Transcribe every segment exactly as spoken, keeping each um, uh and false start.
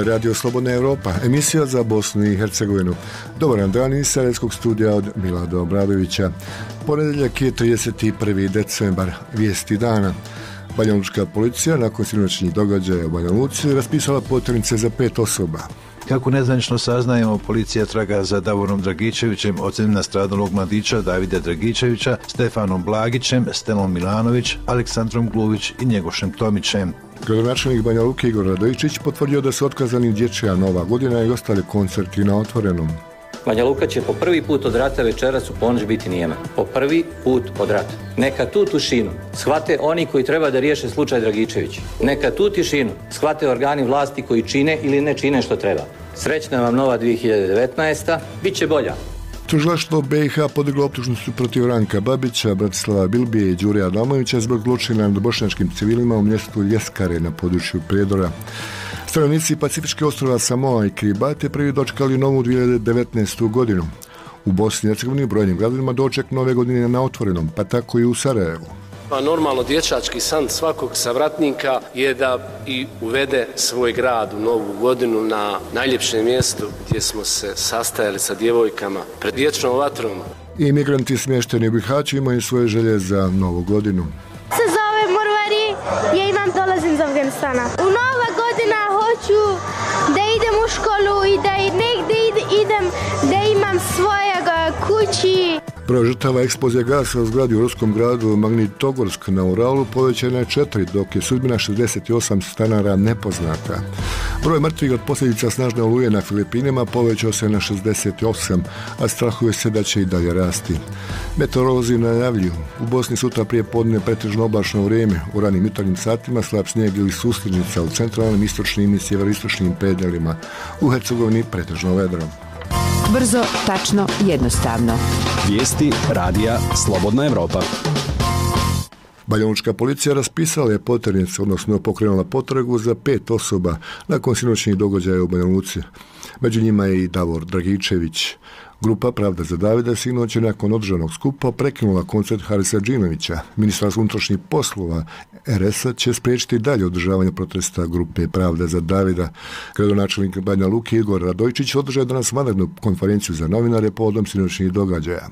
je Radio Slobodna Europa, emisija za Bosnu i Hercegovinu. Dobar dan iz Sarajevskog studija od Milada Obradovića. Ponedjeljak je trideset prvi decembar, vijesti dana. Banjalučka policija nakon sinoćnih događaja u Banja Luci raspisala poternice za pet osoba. Kako nezvanično saznajemo, policija traga za Davorom Dragičevićem, ocem nastradalog mladića Davida Dragičevića, Stefanom Blagićem, Stelom Milanović, Aleksandrom Gluvić i Njegošem Tomićem. Gradonačelnik Banja Luke Igor Radojičić potvrdio da su otkazani dječja Nova godina i ostali koncerti na otvorenom. Banja Luka će po prvi put od rata večeras u ponoć biti nijema. Po prvi put od rata. Neka tu tišinu shvate oni koji treba da riješe slučaj Dragičević. Neka tu tišinu shvate organi vlasti koji čine ili ne čine što treba. Srećna vam nova dvije hiljade devetnaesta. Biće bolja. Tužilaštvo B i H podiglo optužnicu protiv Ranka Babića, Bratislava Bilbije i Đure Adamovića zbog zločina nad bošnjačkim civilima u mjestu Ljeskare na području Prijedora. Stanovnici Pacifičke ostrva Samoa i Kiribati prvi dočekali novu dvije hiljade devetnaestu godinu. U Bosni i Hercegovini brojnim gradovima doček nove godine na otvorenom, pa tako i u Sarajevu. Pa normalno dječački san svakog savratnika je da i uvede svoj grad u novu godinu na najljepšem mjestu gdje smo se sastajali sa djevojkama pred vječnom vatrom. I migranti smješteni u Bihaću imaju svoje želje za novu godinu. Se zove Morvari, ja imam dolazim iz Afganistana. U nova godina hoću da idem u školu i da negdje idem, da imam svojega kući. Broj žrtava eksplozije gasa u zgradi u ruskom gradu Magnitogorsk na Uralu povećana je četiri, dok je sudbina šezdeset osam stanara nepoznata. Broj mrtvih od posljedica snažne oluje na Filipinima povećao se na šezdeset osam, a strahuje se da će i dalje rasti. Meteorolozi najavljuju u Bosni sutra prije podne pretežno oblačno vrijeme, u ranim jutarnjim satima slab snijeg ili susljednica u centralnim, istočnim i sjeveroistočnim predjelima. U Hercegovini pretežno vedro. Brzo, tačno, jednostavno. Vijesti radija Slobodna Europa. Banjalučka policija raspisala je poternicu, odnosno pokrenula potragu za pet osoba nakon sinoćnih događaja u Banja Luci. Među njima je i Davor Dragičević. Grupa Pravda za Davida sinoć je nakon održanog skupa prekinula koncert Harisa Džinovića. Ministarstvo unutrašnjih poslova R S-a će spriječiti dalje održavanje protesta grupe Pravda za Davida. Gradonačelnik Banja Luke Igor Radojičić održao danas vanrednu konferenciju za novinare povodom sinoćnih događaja.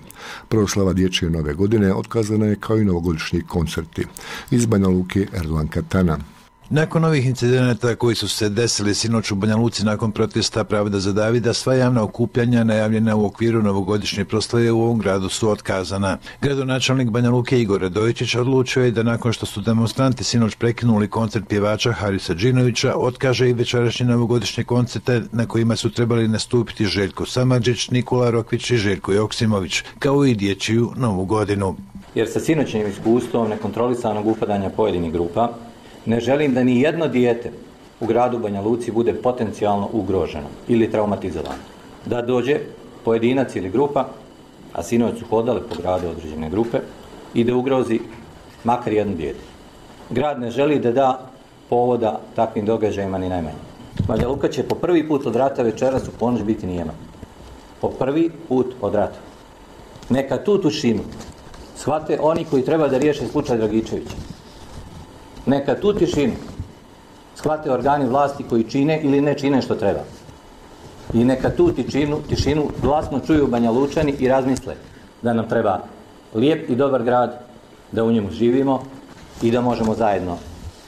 Proslava dječje nove godine otkazana je kao i novogodišnji koncerti. Iz Banja Luke Erdogan Katana. Nakon ovih incidenata koji su se desili sinoć u Banja Luci nakon protesta Pravda za Davida, sva javna okupljanja najavljena u okviru novogodišnje proslave u ovom gradu su otkazana. Gradonačelnik Banja Luke Igor Radojičić odlučio je da nakon što su demonstranti sinoć prekinuli koncert pjevača Harisa Džinovića, otkaže i večerašnje novogodišnje koncerte na kojima su trebali nastupiti Željko Samardžić, Nikola Rokvić i Željko Joksimović, kao i dječju novu godinu. Jer sa sinoćnim iskustvom nekontrolisanog upadanja pojedinih grupa, ne želim da ni jedno dijete u gradu Banja Luci bude potencijalno ugroženo ili traumatizovano. Da dođe pojedinac ili grupa, a sinoć su hodale po gradu određene grupe, i da ugrozi makar jedno dijete. Grad ne želi da da povoda takvim događajima ni najmanje. Banja Luka će po prvi put od rata večeras u ponoć biti nijema. Po prvi put od rata. Neka tu tišinu shvate oni koji treba da riješe slučaj Dragičevića. Neka tu tišinu shvate organi vlasti koji čine ili ne čine što treba. I neka tu tišinu, tišinu glasno čuju Banja Lučani i razmisle da nam treba lijep i dobar grad, da u njemu živimo i da možemo zajedno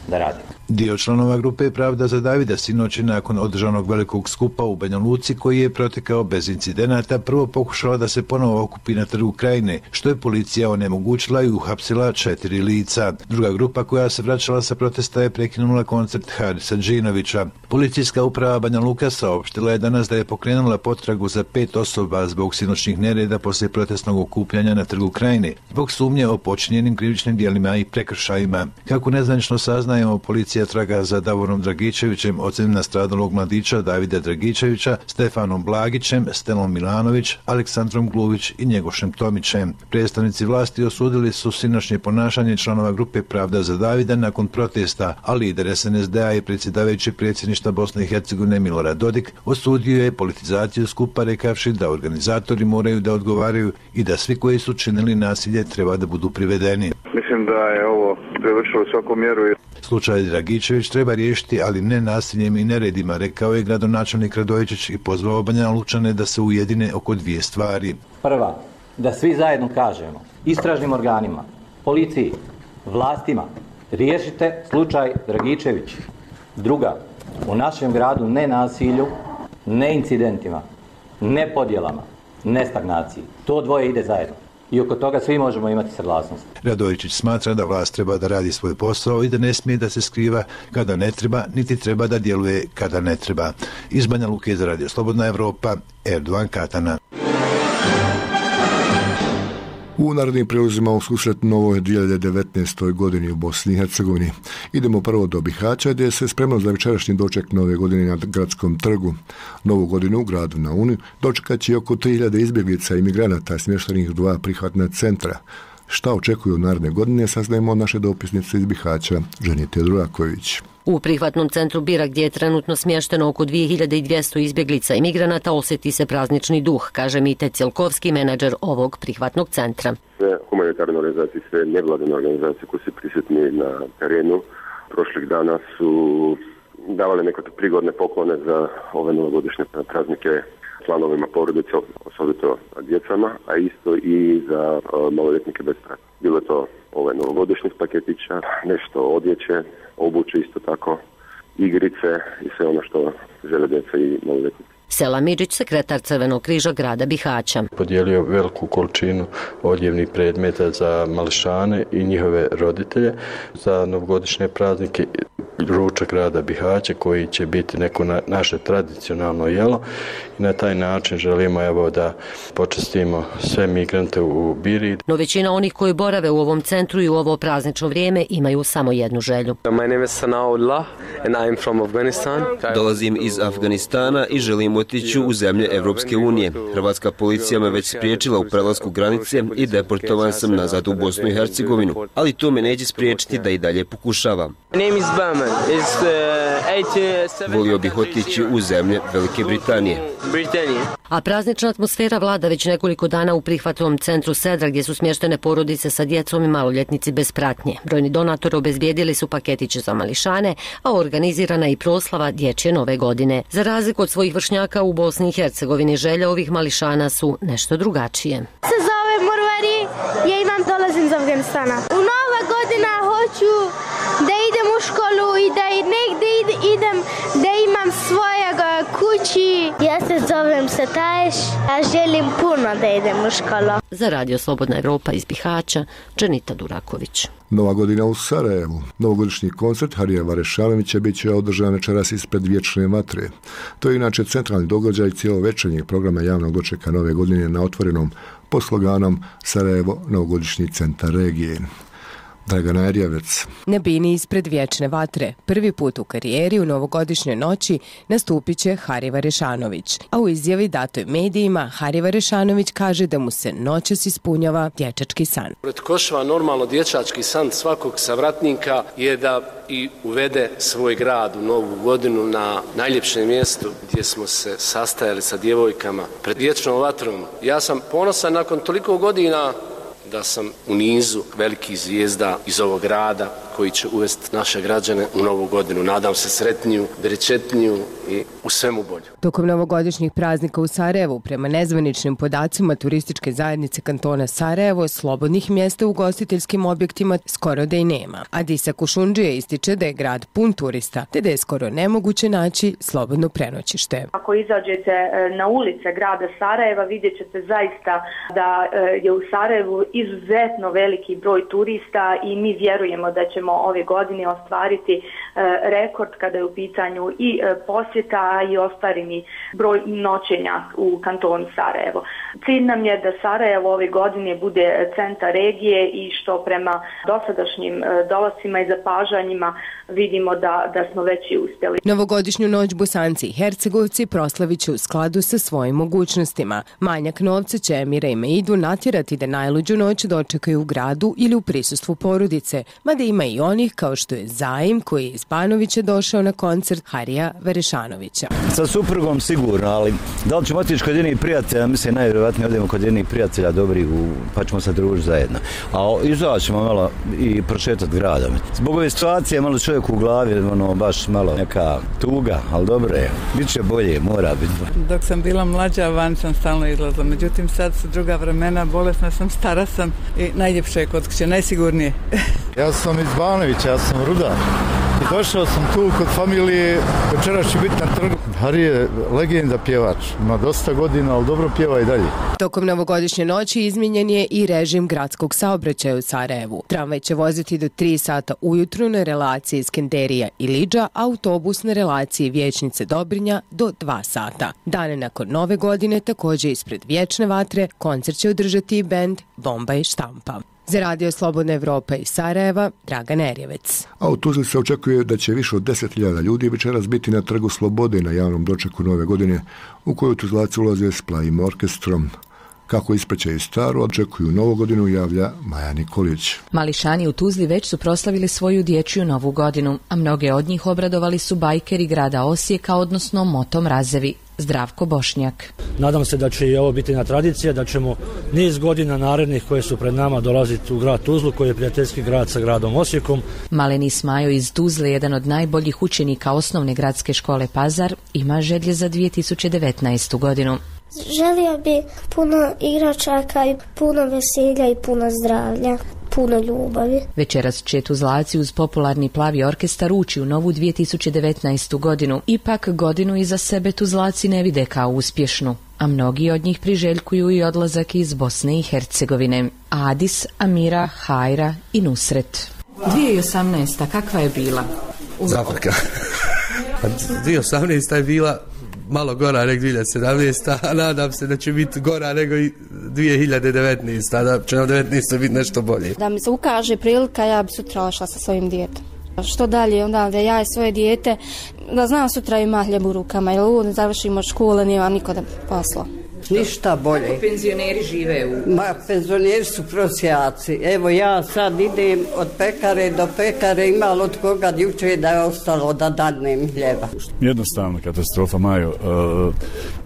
da radimo. Dio članova grupe Pravda za Davida sinoć nakon održanog velikog skupa u Banja Luci, koji je protekao bez incidenata, prvo pokušala da se ponovo okupi na trgu Krajine, što je policija onemogućila i uhapsila četiri lica. Druga grupa koja se vraćala sa protesta je prekinula koncert Harisa Džinovića. Policijska uprava Banja Luka saopštila je danas da je pokrenula potragu za pet osoba zbog sinoćnih nereda poslije protestnog okupljanja na trgu Krajine, zbog sumnje o počinjenim krivičnim djelima i prekršajima. Kako nezvanično saznajemo, policija traga za Davorom Dragičevićem, ocem nastradalog mladića Davida Dragičevića, Stefanom Blagićem, Stelom Milanović, Aleksandrom Gluvić i Njegošem Tomićem. Predstavnici vlasti osudili su sinoćnje ponašanje članova grupe Pravda za Davida nakon protesta, a lider S N S D-a i predsjedavajući predsjedništva Bosne i Hercegovine Milorad Dodik osudio je politizaciju skupa, rekavši da organizatori moraju da odgovaraju i da svi koji su činili nasilje treba da budu privedeni. Mislim da je ovo prevršilo svaku mjeru. Slučaj Dragičević treba riješiti, ali ne nasiljem i neredima, rekao je gradonačelnik Radojičić i pozvao Banja Lučane da se ujedine oko dvije stvari. Prva, da svi zajedno kažemo istražnim organima, policiji, vlastima, riješite slučaj Dragičević. Druga, u našem gradu ne nasilju, ne incidentima, ne podjelama, ne stagnaciji. To dvoje ide zajedno. I oko toga svi možemo imati saglasnost. Radojičić smatra da vlast treba da radi svoj posao i da ne smije da se skriva kada ne treba, niti treba da djeluje kada ne treba. Iz Banja Luke za Radio Slobodna Evropa, Erdovan Katana. U narednim prilozima u susret novoj dvije hiljade devetnaestoj godini u Bosni i Hercegovini. Idemo prvo do Bihaća gdje se spremno za večerašnji doček nove godine na gradskom trgu. Novu godinu u gradu na Uni dočekat će oko tri hiljade izbjeglica i migranata smještenih u dva prihvatna centra. Šta očekuju naredne godine saznajemo od naše dopisnice iz Bihaća, Ženite Duraković. U prihvatnom centru Bira, gdje je trenutno smješteno oko dvije hiljade dvjesto izbjeglica i migranata, osjeti se praznični duh, kaže Mite Cjelkovski, menadžer ovog prihvatnog centra. Sve humanitarne organizacije, sve nevladine organizacije koje su prisutni na terenu prošlih dana su davale nekakve prigodne poklone za ove novogodišnje praznike članovima porodice, osobito djecama, a isto i za maloljetnike bez pratnje. Bilo je to ove novogodišnjih paketića, nešto odjeće, obuće isto tako, igrice i sve ono što žele djeca i maloljetnici. Sela Midžić, sekretar Crvenog križa grada Bihaća. Podijelio veliku količinu odjevnih predmeta za mališane i njihove roditelje za novogodišnje praznike, ručak grada Bihaća koji će biti neko na, naše tradicionalno jelo i na taj način želimo evo da počastimo sve migrante u Biri. No većina onih koji borave u ovom centru i u ovo praznično vrijeme imaju samo jednu želju. My name is Sanaullah and I am from Afghanistan. Dolazim iz Afganistana i želim otići u zemlje Evropske unije. Hrvatska policija me već spriječila u prelasku granice i deportovan sam nazad u Bosnu i Hercegovinu, ali to me neće spriječiti da i dalje pokušavam. Volio bih otići u zemlje Velike Britanije. A praznična atmosfera vlada već nekoliko dana u prihvatnom centru Sedra, gdje su smještene porodice sa djecom i maloljetnici bez pratnje. Brojni donatori obezbijedili su paketiće za mališane, a organizirana i proslava dječje nove godine. Za razliku od svojih vršnjaka u Bosni i Hercegovini, želje ovih mališana su nešto drugačije. Se zove Morvari, ja imam dolazim iz Afganistana. U nova godina hoću da idem u školu i da negdje idem, da imam svojeg kući. Ja se zovem Sataješ, a želim puno da idem u školu. Za Radio Slobodna Evropa iz Bihaća, Dženita Duraković. Nova godina u Sarajevu. Novogodišnji koncert Harija Varešanovića bit će održan večeras ispred Vječne vatre. To je inače centralni događaj cijelovečernjeg programa javnog dočeka nove godine na otvorenom pod sloganom Sarajevo, novogodišnji centar regije. Dragana Erjavec. Na bini ispred Vječne vatre, prvi put u karijeri u novogodišnjoj noći nastupit će Hari Varešanović. A u izjavi datoj medijima, Hari Varešanović kaže da mu se noćas ispunjava dječački san. Pretkošava normalno dječački san svakog savratnika je da i uvede svoj grad u novu godinu na najljepšem mjestu gdje smo se sastajali sa djevojkama pred Vječnom vatrom. Ja sam ponosan nakon toliko godina da sam u nizu velikih zvijezda iz ovog grada koji će uvesti naše građane u novu godinu. Nadam se sretniju, brečetniju i u svemu bolju. Tokom novogodišnjih praznika u Sarajevu, prema nezvaničnim podacima turističke zajednice kantona Sarajevo, slobodnih mjesta u ugostiteljskim objektima skoro da i nema. Adisa Kušundžija ističe da je grad pun turista, te da je skoro nemoguće naći slobodno prenoćište. Ako izađete na ulice grada Sarajeva, vidjet ćete zaista da je u Sarajevu izuzetno veliki broj turista i mi vjerujemo da ćemo ove godine ostvariti rekord kada je u pitanju i posjeta i ostvareni broj noćenja u kantonu Sarajevo. Cilj nam je da Sarajevo ove godine bude centar regije i što prema dosadašnjim dolascima i zapažanjima vidimo da, da smo već i uspjeli. Novogodišnju noć Bosanci i Hercegovci proslavit će u skladu sa svojim mogućnostima. Manjak novca će Emira i Meidu natjerati da najluđu noć dočekaju u gradu ili u prisustvu porodice, mada ima i onih kao što je Zaim koji je iz Banovića došao na koncert Harija Varešanovića. Stanovića. Sa suprugom sigurno, ali da li ćemo otići kod jednih prijatelja, mislim najvjerojatnije odemo kod jednih prijatelja dobrih, pa ćemo se družiti zajedno. A izaći ćemo malo i prošetati gradom. Zbog ove situacije malo čovjek u glavi, ono, baš malo neka tuga, ali dobro je. Biće bolje, mora biti. Dok sam bila mlađa, van sam stalno izlazila. Međutim, sad su druga vremena, bolesna sam, stara sam i najljepše je kod kuće, najsigurnije. Ja sam iz Banovića, ja sam rudar. I došao sam tu kod familije, večeras će biti na trgu. Hari je legenda pjevač, ima dosta godina, ali dobro pjeva i dalje. Tokom novogodišnje noći izmijenjen je i režim gradskog saobraćaja u Sarajevu. Tramvaj će voziti do tri sata ujutru na relaciji Skenderija i Lidža, autobus na relaciji Vijećnice Dobrinja do dva sata. Dane nakon nove godine, također ispred Vječne vatre, koncert će održati i bend Bomba i štampa. Za Radio Slobodna Evropa iz Sarajeva, Dragan Erjevec. A u Tuzli se očekuje da će više od deset hiljada ljudi večeras biti na Trgu Slobode na javnom dočeku nove godine, u koju Tuzlaci ulaze s plavim orkestrom. Kako ispraćaju staru, očekuju novu godinu, javlja Maja Nikolić. Mališani u Tuzli već su proslavili svoju dječju novu godinu, a mnoge od njih obradovali su bajkeri grada Osijeka, odnosno Moto Mrazevi. Zdravko Bošnjak. Nadam se da će i ovo biti na tradicija, da ćemo niz godina narednih koje su pred nama dolaziti u grad Tuzlu, koji je prijateljski grad sa gradom Osijekom. Maleni Smajo iz Tuzle, jedan od najboljih učenika osnovne gradske škole Pazar, ima želje za dvije tisuće devetnaestu. godinu. Želio bi puno igračaka i puno veselja i puno zdravlja, puno ljubavi. Večeras će Tuzlaci uz popularni plavi orkestar ući u novu dvije tisuće devetnaestu. godinu. Ipak godinu iza sebe Tuzlaci ne vide kao uspješnu, a mnogi od njih priželjkuju i odlazak iz Bosne i Hercegovine. Adis, Amira, Hajra i Nusret. dvije tisuće osamnaesta. kakva je bila? Zaprka. dvije tisuće osamnaesta je bila malo gora nego dvije hiljade sedamnaesta. a nadam se da će biti gora nego i dvije hiljade devetnaesta. da će nam devetnaesta biti nešto bolje. Da mi se ukaže prilika, ja bi sutra ošla sa svojim djetom. Što dalje, onda da ja i svoje dijete, da znam sutra ima hljeb u rukama, jer uvijek završimo škole, nema niko da posla. Ništa bolje. Kako penzioneri žive u... Ma, penzioneri su prosjaci. Evo ja sad idem od pekare do pekare, imali od koga jučer da je ostalo da dadnem hljeba. Jednostavno katastrofa, Majo. Uh,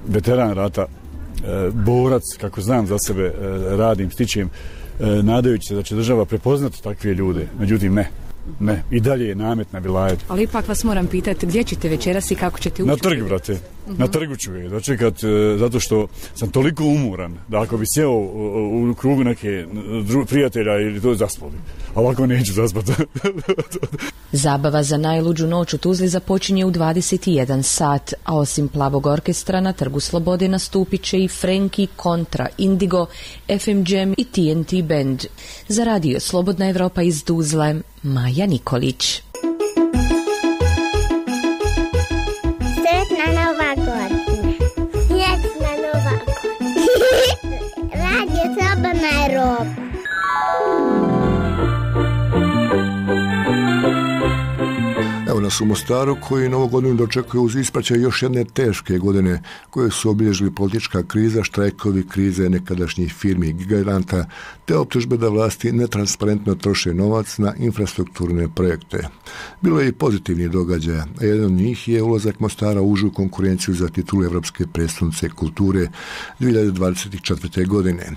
veteran rata, uh, borac, kako znam za sebe, uh, radim, stičem, uh, nadajući se da će država prepoznati takve ljude. Međutim, ne. Ne, i dalje je namet na vilajetu. Ali ipak vas moram pitati, gdje ćete večeras i kako ćete ući? Na trg, brate. Uh-huh. Na trgu ću je dočekat, zato što sam toliko umuran da ako bi sjeo u, u krugu neke dru, prijatelja ili to zaspali. A ovako neću zaspati. Zabava za najluđu noć u Tuzli započinje u dvadeset jedan sat, a osim plavog orkestra na Trgu Slobode nastupit će i Frenki, Kontra, Indigo, F M Jam i T N T Band. Za Radio Slobodna Evropa iz Tuzle, Maja Nikolić. Sretna nova godina. Sretna nova godina. Radio Slobodna Evropa. Evo nas u Mostaru, koji novu godinu dočekuje uz ispraćaj još jedne teške godine koje su obilježili politička kriza, štrajkovi, krize nekadašnjih firmi giganta, te optužbe da vlasti netransparentno troše novac na infrastrukturne projekte. Bilo je i pozitivnih događaja, a jedan od njih je ulazak Mostara u užu konkurenciju za titulu Evropske prijestolnice kulture dvije hiljade dvadeset četvrte. godine.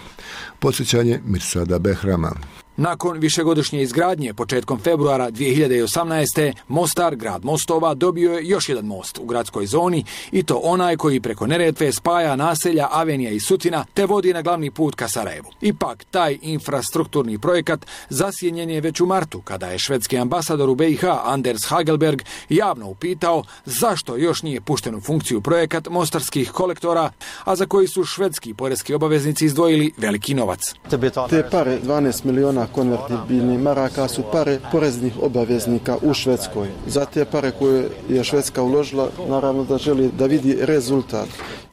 Podsjećanje Mirsada Behrama. Nakon višegodišnje izgradnje početkom februara dvije hiljade osamnaeste. Mostar, grad mostova, dobio je još jedan most u gradskoj zoni, i to onaj koji preko Neretve spaja naselja Avenija i Sutina te vodi na glavni put ka Sarajevu. Ipak, taj infrastrukturni projekat zasjenjen je već u martu, kada je švedski ambasador u B i H Anders Hagelberg javno upitao zašto još nije pušten u funkciju projekat mostarskih kolektora, a za koji su švedski poreski obaveznici izdvojili veliki novac. Te pare, dvanaest miliona konvertibilnih maraka, su pare poreznih obaveznika u Švedskoj. Za te pare koje je Švedska uložila, naravno da želi da vidi rezultat.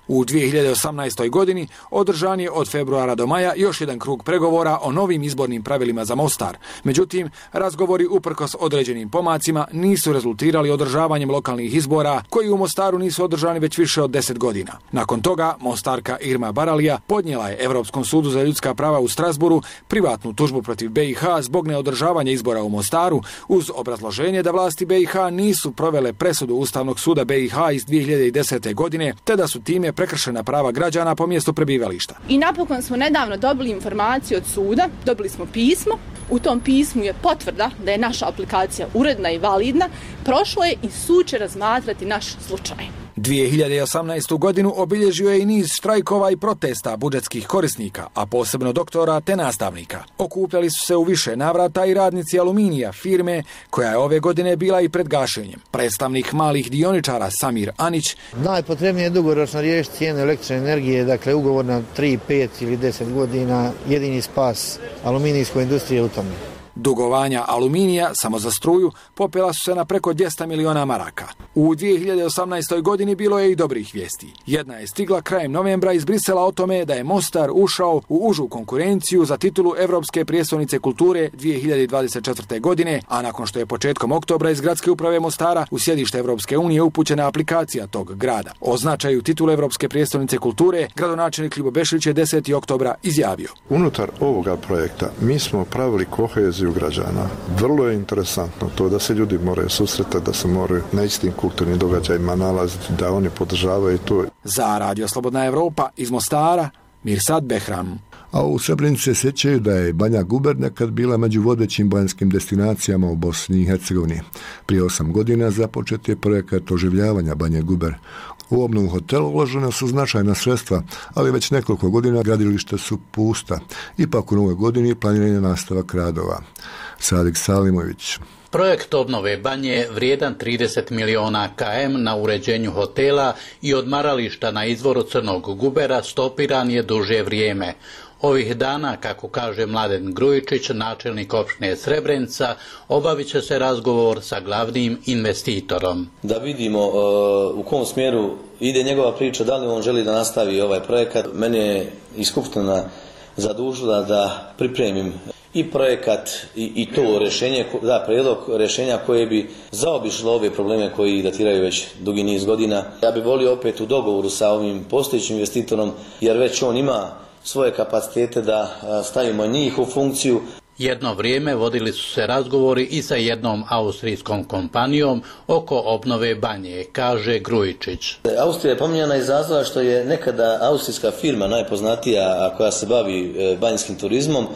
U dvije hiljade osamnaestoj. godini održan je od februara do maja još jedan krug pregovora o novim izbornim pravilima za Mostar. Međutim, razgovori uprkos određenim pomacima nisu rezultirali održavanjem lokalnih izbora koji u Mostaru nisu održani već više od deset godina. Nakon toga Mostarka Irma Baralija podnijela je Europskom sudu za ljudska prava u Strasburu privatnu tužbu protiv B i H zbog neodržavanja izbora u Mostaru uz obrazloženje da vlasti B i H nisu provele presudu Ustavnog suda B i H iz dvije hiljade desete. godine te da su time prekršena prava građana po mjestu prebivališta. I napokon smo nedavno dobili informaciju od suda, dobili smo pismo, u tom pismu je potvrda da je naša aplikacija uredna i validna, prošlo je i sud će razmatrati naš slučaj. dvije hiljade osamnaestu. godinu obilježio je i niz štrajkova i protesta budžetskih korisnika, a posebno doktora te nastavnika. Okupljali su se u više navrata i radnici Aluminija, firme koja je ove godine bila i pred gašenjem. Predstavnik malih dioničara Samir Anić: najpotrebnije je dugoročno riješiti cijenu električne energije, dakle ugovor na tri, pet ili deset godina, jedini spas aluminijskoj industrije u tome. Dugovanja Aluminija samo za struju popela su se na preko dvjesto miliona maraka. U dvije hiljade osamnaestoj. godini bilo je i dobrih vijesti. Jedna je stigla krajem novembra iz Brisela o tome da je Mostar ušao u užu konkurenciju za titulu Evropske prijestolnice kulture dvije hiljade dvadeset četvrte. godine, a nakon što je početkom oktobra iz gradske uprave Mostara u sjedište Evropske unije upućena aplikacija tog grada. O značaju titulu Evropske prijestolnice kulture gradonačelnik Ljubo Bešlić je desetog oktobra izjavio: unutar ovoga projekta mi smo pravili koheziju građana. Vrlo je interesantno to da se ljudi moraju susretati, da se moraju na istim kulturnim događajima nalaziti, da oni podržavaju to. Za Radio Slobodna Evropa iz Mostara, Mirsad Behram. A u Srebrenici se sjećaju da je Banja Guber nekad bila među vodećim banjskim destinacijama u Bosni i Hercegovini. Prije osam godina započet je projekat oživljavanja Banje Guber. U obnovu hotela uložena su značajna sredstva, ali već nekoliko godina gradilišta su pusta. Ipak u novoj godini planiran je nastavak radova. Sadik Salimović. Projekt obnove banje vrijedan trideset miliona km na uređenju hotela i odmarališta na izvoru Crnog Gubera stopiran je duže vrijeme. Ovih dana, kako kaže Mladen Grujičić, načelnik opštine Srebrenica, obavit će se razgovor sa glavnim investitorom. Da vidimo uh, u kom smjeru ide njegova priča, da li on želi da nastavi ovaj projekat. Mene je i skupština zadužila da pripremim i projekat i, i to rješenje, da, prijedlog rješenja koje bi zaobišlo ove probleme koji datiraju već dugi niz godina. Ja bih volio opet u dogovoru sa ovim postojećim investitorom, jer već on ima svoje kapacitete da stavimo njih u funkciju. Jedno vrijeme vodili su se razgovori i sa jednom austrijskom kompanijom oko obnove banje, kaže Grujičić. Austrija je pominjana iz razloga što je nekada austrijska firma najpoznatija koja se bavi banjskim turizmom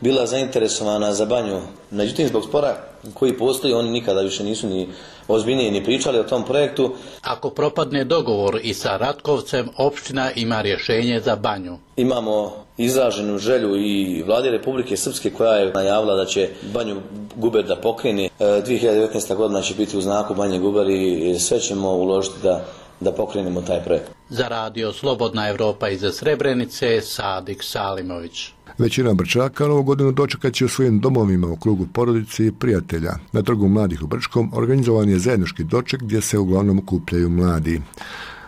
bila zainteresovana za banju. Međutim, zbog spora koji postoji, oni nikada više nisu ni ozbiljnije ni pričali o tom projektu. Ako propadne dogovor i sa Ratkovcem, opština ima rješenje za banju. Imamo izraženu želju i vlade Republike Srpske koja je najavila da će Banju Guber da pokrene. dvije hiljade devetnaesta. godina će biti u znaku Banje Guber i sve ćemo uložiti da, da pokrenemo taj projekt. Za Radio Slobodna Evropa iz Srebrenice, Sadik Salimović. Većina Brčaka novu godinu dočekat će u svojim domovima u krugu porodice i prijatelja. Na Trgu mladih u Brčkom organizovan je zajednički doček gdje se uglavnom okupljaju mladi.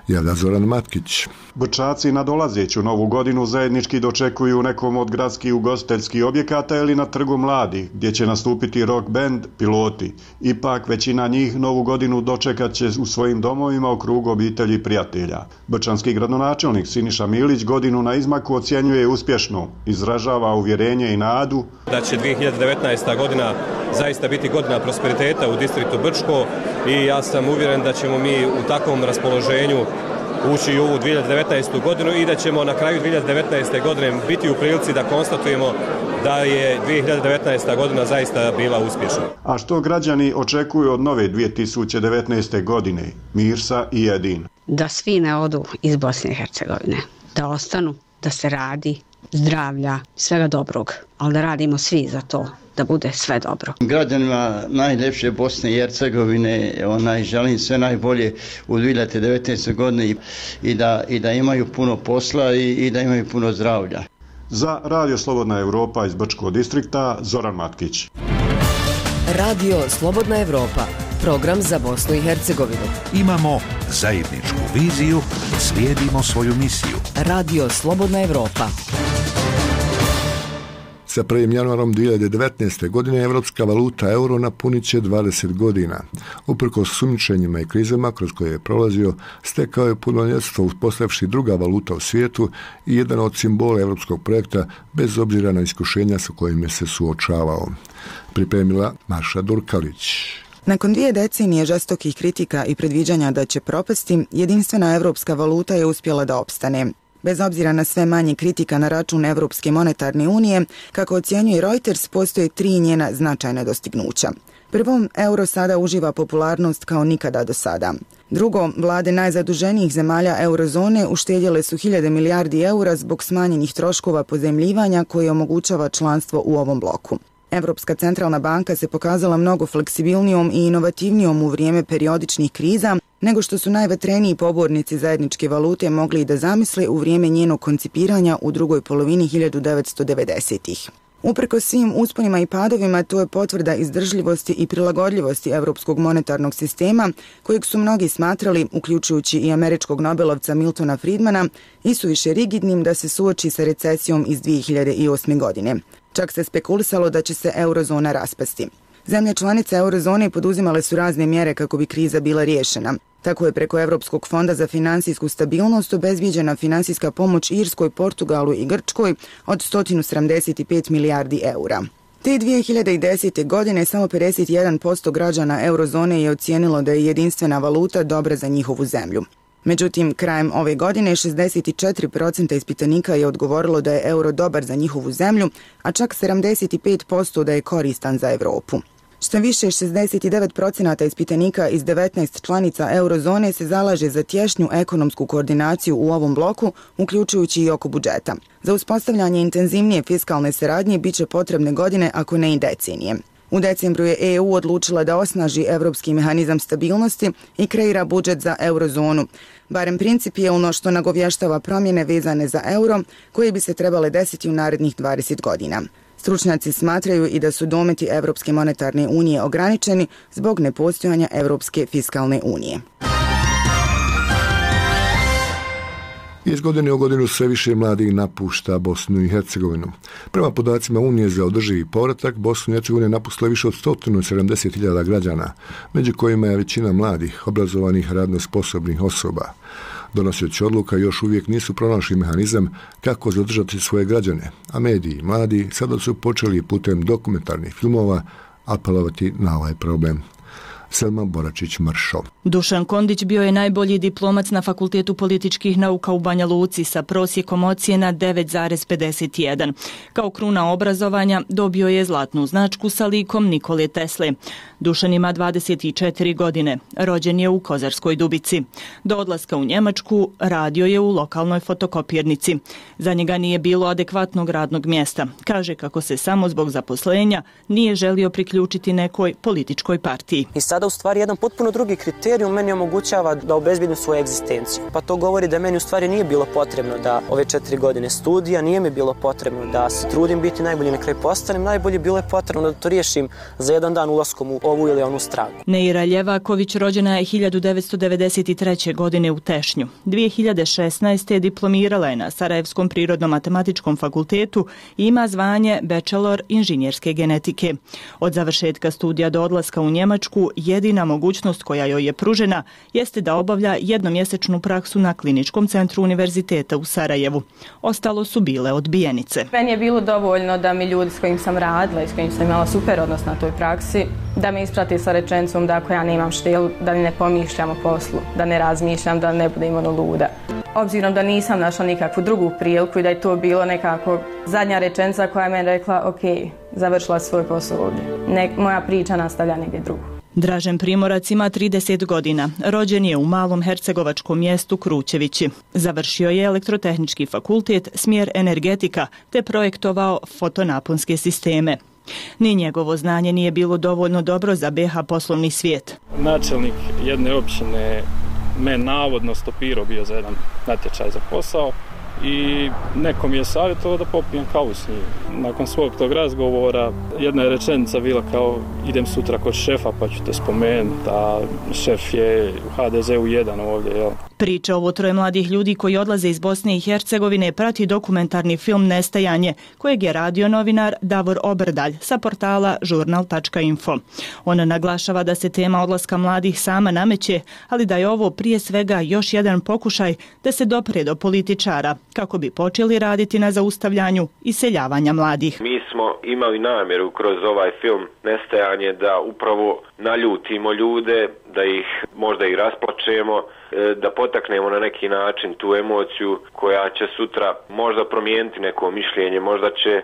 Javlja Zoran Matkić. Brčaci na dolazeću novu godinu zajednički dočekuju u nekom od gradskih ugostiteljskih objekata ili na Trgu mladih, gdje će nastupiti rock band Piloti. Ipak većina njih novu godinu dočekat će u svojim domovima u krugu obitelji i prijatelja. Brčanski gradonačelnik Siniša Milić godinu na izmaku ocjenjuje uspješno, izražava uvjerenje i nadu da će dvije hiljade devetnaesta. godina zaista biti godina prosperiteta u distriktu Brčko i ja sam uvjeren da ćemo mi u takvom raspoloženju ući u ovu dvije hiljade devetnaestu. godinu i da ćemo na kraju dvije hiljade devetnaeste. godine biti u prilici da konstatujemo da je dvije hiljade devetnaesta. godina zaista bila uspješna. A što građani očekuju od nove dvije tisuće devetnaeste. godine? Mirsa i Edin. Da svi ne odu iz Bosne i Hercegovine, da ostanu, da se radi, zdravlja, svega dobrog, ali da radimo svi za to, da bude sve dobro. Građanima najljepše Bosne i Hercegovine onaj, želim sve najbolje u dvije hiljade devetnaeste. godine i da, i da imaju puno posla i, i da imaju puno zdravlja. Za Radio Slobodna Evropa iz Brčkog distrikta, Zoran Matkić. Radio Slobodna Evropa, program za Bosnu i Hercegovinu. Imamo zajedničku viziju, slijedimo svoju misiju. Radio Slobodna Evropa. Sa prvim januarom dvije hiljade devetnaeste. godine evropska valuta euro napunit će dvadeset godina. Uprkos sumnjičenjima i krizama kroz koje je prolazio, stekao je punoljetstvo uspostavivši druga valuta u svijetu i jedan od simbola evropskog projekta bez obzira na iskušenja sa kojim je se suočavao. Pripremila Maša Durkalić. Nakon dvije decenije žestokih kritika i predviđanja da će propasti, jedinstvena evropska valuta je uspjela da opstane. Bez obzira na sve manje kritika na račun Evropske monetarne unije, kako ocjenjuje Reuters, postoje tri njena značajna dostignuća. Prvo, euro sada uživa popularnost kao nikada do sada. Drugo, vlade najzaduženijih zemalja eurozone uštedjele su hiljade milijardi eura zbog smanjenih troškova pozajmljivanja koje omogućava članstvo u ovom bloku. Evropska centralna banka se pokazala mnogo fleksibilnijom i inovativnijom u vrijeme periodičnih kriza nego što su najvetreniji pobornici zajedničke valute mogli i da zamisle u vrijeme njenog koncipiranja u drugoj polovini hiljadu devetsto devedesetih. Uprkos svim usponima i padovima, to je potvrda izdržljivosti i prilagodljivosti evropskog monetarnog sistema, kojeg su mnogi smatrali, uključujući i američkog nobelovca Miltona Friedmana, isuviše rigidnim da se suoči sa recesijom iz dvije hiljade osme. godine. Čak se spekulisalo da će se eurozona raspasti. Zemlje članice eurozone poduzimale su razne mjere kako bi kriza bila riješena. Tako je preko Evropskog fonda za finansijsku stabilnost obezbijeđena finansijska pomoć Irskoj, Portugalu i Grčkoj od sto sedamdeset pet milijardi eura. Te dvije hiljade desete. godine samo pedeset jedan posto građana eurozone je ocijenilo da je jedinstvena valuta dobra za njihovu zemlju. Međutim, krajem ove godine šezdeset četiri posto ispitanika je odgovorilo da je euro dobar za njihovu zemlju, a čak sedamdeset pet posto da je koristan za Europu. Što više, šezdeset devet posto ispitanika iz devetnaest članica eurozone se zalaže za tješnju ekonomsku koordinaciju u ovom bloku, uključujući i oko budžeta. Za uspostavljanje intenzivnije fiskalne saradnje bit će potrebne godine, ako ne i decenije. U decembru je E U odlučila da osnaži Evropski mehanizam stabilnosti i kreira budžet za eurozonu, barem principijelno, što nagovještava promjene vezane za euro koje bi se trebale desiti u narednih dvadeset godina. Stručnjaci smatraju i da su dometi Evropske monetarne unije ograničeni zbog nepostojanja Evropske fiskalne unije. Iz godine u godinu sve više mladih napušta Bosnu i Hercegovinu. Prema podacima Unije za održivi povratak, Bosnu i Hercegovinu je napustilo više od sto sedamdeset hiljada građana, među kojima je većina mladih, obrazovanih, radno sposobnih osoba. Donosioći odluka još uvijek nisu pronašli mehanizam kako zadržati svoje građane, a mediji mladi sada su počeli putem dokumentarnih filmova apelovati na ovaj problem. Selma Boračić-Mršo. Dušan Kondić bio je najbolji diplomac na Fakultetu političkih nauka u Banja Luci sa prosjekom ocjena devet zarez pedeset jedan. Kao kruna obrazovanja dobio je zlatnu značku sa likom Nikole Tesle. Dušan ima dvadeset četiri godine. Rođen je u Kozarskoj Dubici. Do odlaska u Njemačku radio je u lokalnoj fotokopirnici. Za njega nije bilo adekvatnog radnog mjesta. Kaže kako se samo zbog zaposlenja nije želio priključiti nekoj političkoj partiji. I sada u stvari jedan potpuno drugi kriterijum meni omogućava da obezbijedim svoju egzistenciju. Pa to govori da meni u stvari nije bilo potrebno da ove četiri godine studija, nije mi bilo potrebno da se trudim biti najbolji, na kraju postanem najbolji, bilo je potrebno da to riješim za jedan dan ulaskom u ovu ili onu stranku. Neira Ljevaković rođena je hiljadu devetsto devedeset treće. godine u Tešnju. dvije hiljade šesnaeste. diplomirala je na Sarajevskom prirodno-matematičkom fakultetu i ima zvanje bachelor inženjerske genetike. Od završetka studija do odlaska u Njemačku jedina mogućnost koja joj je pružena jeste da obavlja jednomjesečnu praksu na Kliničkom centru Univerziteta u Sarajevu. Ostalo su bile odbijenice. Meni je bilo dovoljno da mi ljudi s kojim sam radila i s kojim sam imala super odnos na toj praksi, da me isprati sa rečenicom da ako ja nemam štilu, da ne pomišljam o poslu, da ne razmišljam, da ne budem ono luda. Obzirom da nisam našla nikakvu drugu priliku i da je to bilo nekako zadnja rečenica koja me rekla ok, završila svoj posao ovdje. Ne, moja priča nastavlja negdje drugo. Dražen Primorac ima trideset godina. Rođen je u malom hercegovačkom mjestu Krućevići. Završio je elektrotehnički fakultet, smjer energetika, te projektovao fotonaponske sisteme. Ni njegovo znanje nije bilo dovoljno dobro za B H poslovni svijet. Načelnik jedne općine me navodno stopirao bio za jedan natječaj za posao i neko mi je savjetovao da popijem kavu s njim. Nakon svog tog razgovora jedna je rečenica bila kao idem sutra kod šefa pa ću te spomenuti, a šef je u ha de ze u jedan ovdje. Jel? Priča ovo troje mladih ljudi koji odlaze iz Bosne i Hercegovine prati dokumentarni film Nestajanje, kojeg je radio novinar Davor Obrdalj sa portala žurnal tačka info. On naglašava da se tema odlaska mladih sama nameće, ali da je ovo prije svega još jedan pokušaj da se dopre do političara, kako bi počeli raditi na zaustavljanju iseljavanja mladih. Mi smo imali namjeru kroz ovaj film Nestajanje da upravo naljutimo ljude, da ih možda i rasplačemo, da potaknemo na neki način tu emociju koja će sutra možda promijeniti neko mišljenje, možda će e,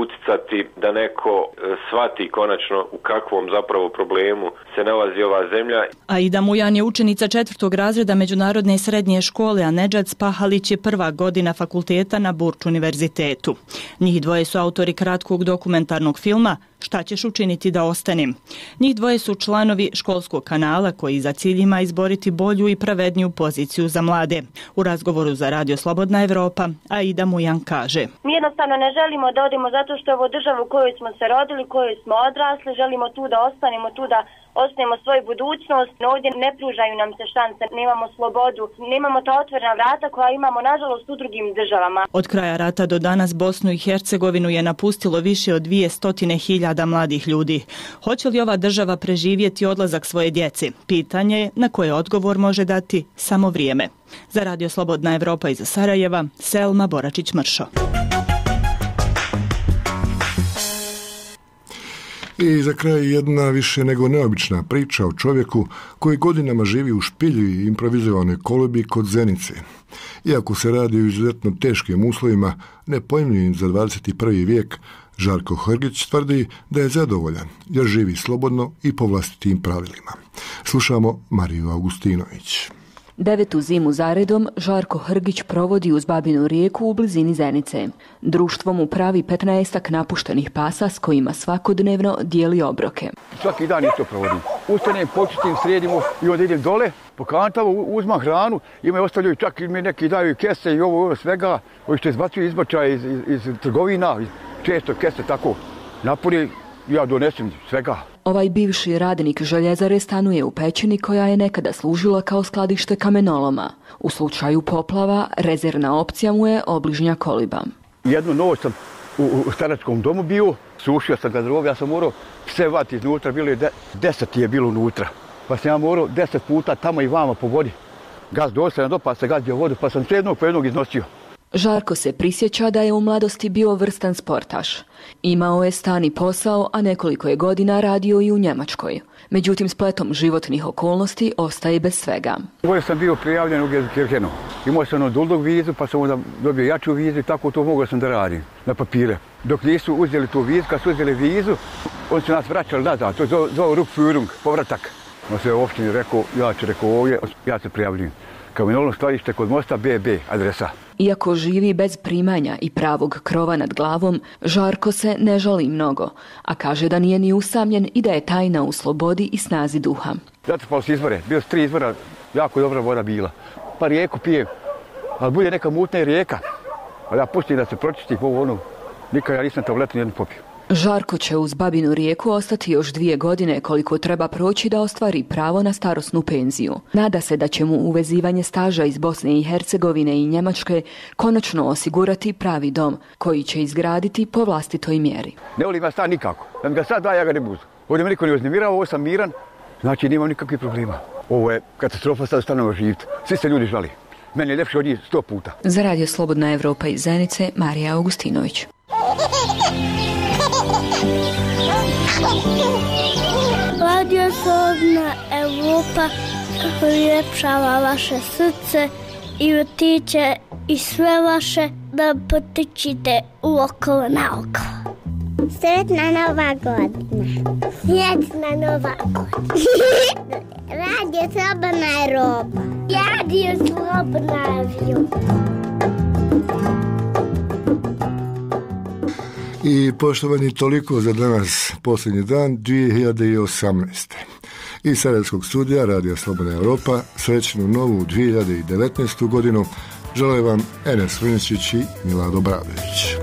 uticati da neko e, shvati konačno u kakvom zapravo problemu se nalazi ova zemlja. Aida Mujan je učenica četvrtog razreda Međunarodne srednje škole, a Nedžad Spahalić je prva godina fakulteta na Burč univerzitetu. Njih dvoje su autori kratkog dokumentarnog filma Šta ćeš učiniti da ostanem? Njih dvoje su članovi školskog kanala koji za cilj ima izboriti bolju i pravedniju poziciju za mlade. U razgovoru za Radio Slobodna Evropa, Aida Mujan kaže: Mi jednostavno ne želimo da odemo zato što je ovo država u kojoj smo se rodili, u kojoj smo odrasli, želimo tu da ostanemo, tu da ostajemo svoju budućnost. Ovdje ne pružaju nam se šanse, nemamo slobodu, nemamo ta otvorena vrata koja imamo nažalost u drugim državama. Od kraja rata do danas Bosnu i Hercegovinu je napustilo više od dvije stotine hiljada mladih ljudi. Hoće li ova država preživjeti odlazak svoje djece? Pitanje je na koje odgovor može dati samo vrijeme. Za Radio Slobodna Evropa iz Sarajeva, Selma Boračić-Mršo. I za kraj jedna više nego neobična priča o čovjeku koji godinama živi u špilji i improvizovanoj kolebi kod Zenice. Iako se radi o izuzetno teškim uslovima, nepojmljivim za dvadeset prvi vijek, Žarko Hrgić tvrdi da je zadovoljan jer živi slobodno i po vlastitim pravilima. Slušamo Mariju Augustinović. Devetu zimu zaredom Žarko Hrgić provodi uz Babinu rijeku u blizini Zenice. Društvo mu pravi petnaestak napuštenih pasa s kojima svakodnevno dijeli obroke. Svaki dan isto provodim. Ustanem, počistim, sredimo i onda idem dole, po kantavu, uzmam hranu, ima ostavljaju čak i mi neki daju kese i ovo, ovo svega, ovo što izbacuju izbačaje iz, iz, iz trgovina, često kese tako napuni, ja donesem svega. Ovaj bivši radnik željezare stanuje u pećini koja je nekada služila kao skladište kamenoloma. U slučaju poplava rezervna opcija mu je obližnja koliba. Jednu noć sam u, u staračkom domu bio, sušio sam garderobu, ja sam morao sve vati iznutra, bilo je de, deset je bilo unutra. Pa sam ja morao deset puta tamo i vama po vodi. Gaz dosta do pa se gazdio vodu, pa sam sve jednog po jednog iznosio. Žarko se prisjeća da je u mladosti bio vrstan sportaš. Imao je stani posao, a nekoliko je godina radio i u Njemačkoj. Međutim, spletom životnih okolnosti ostaje bez svega. Ovo sam bio prijavljen u Gelsenkirchenu. Imao sam ono duldog vizu, pa sam onda dobio jaču vizu i tako to mogao sam da radim na papire. Dok nisu uzeli tu vizu, kad su uzeli vizu, oni su nas vraćali nazad. To je zvao Rückführung, povratak. On se u opštini rekao, ja ću rekao ovdje, ja se prijavljujem. Kamenolno skladište kod mosta be be adresa. Iako živi bez primanja i pravog krova nad glavom, Žarko se ne žali mnogo, a kaže da nije ni usamljen i da je tajna u slobodi i snazi duha. Zatrpalo se izvore, bilo su tri izvora, jako dobra voda bila. Pa rijeku pijem, ali bude neka mutna i rijeka. Ali ja pustim da se pročisti ovo ono, nikad ja nisam tabletu nijednu popio. Žarko će uz Babinu rijeku ostati još dvije godine koliko treba proći da ostvari pravo na starosnu penziju. Nada se da će mu uvezivanje staža iz Bosne i Hercegovine i Njemačke konačno osigurati pravi dom koji će izgraditi po vlastitoj mjeri. Ne volim ja stan nikako. Da mi ga sad da, ja ga ne budu. Ovdje me niko ne uznemirao, ovo sam miran, znači nemam nikakvih problema. Ovo je katastrofa, sad stanemo živjeti. Svi se ljudi žali. Meni je ljepše od njih sto puta. Za Radio Slobodna Evropa iz Zenice, Marija Augustinović. Radio Slobodna Evropa uljepšava vaše srce i vrtiće i sve vaše da potičite u okolo na okolo. Sretna Nova godina. Sretna Nova godina. Radio Slobodna Evropa. Radio Slobodna Evropa. I poštovani, toliko za danas, posljednji dan dvije hiljade osamnaeste. Iz Sarajevskog studija Radio Slobodna Evropa srećnu novu dvije hiljade devetnaestu godinu Žele vam Enes Vrničić i Milado Bradović.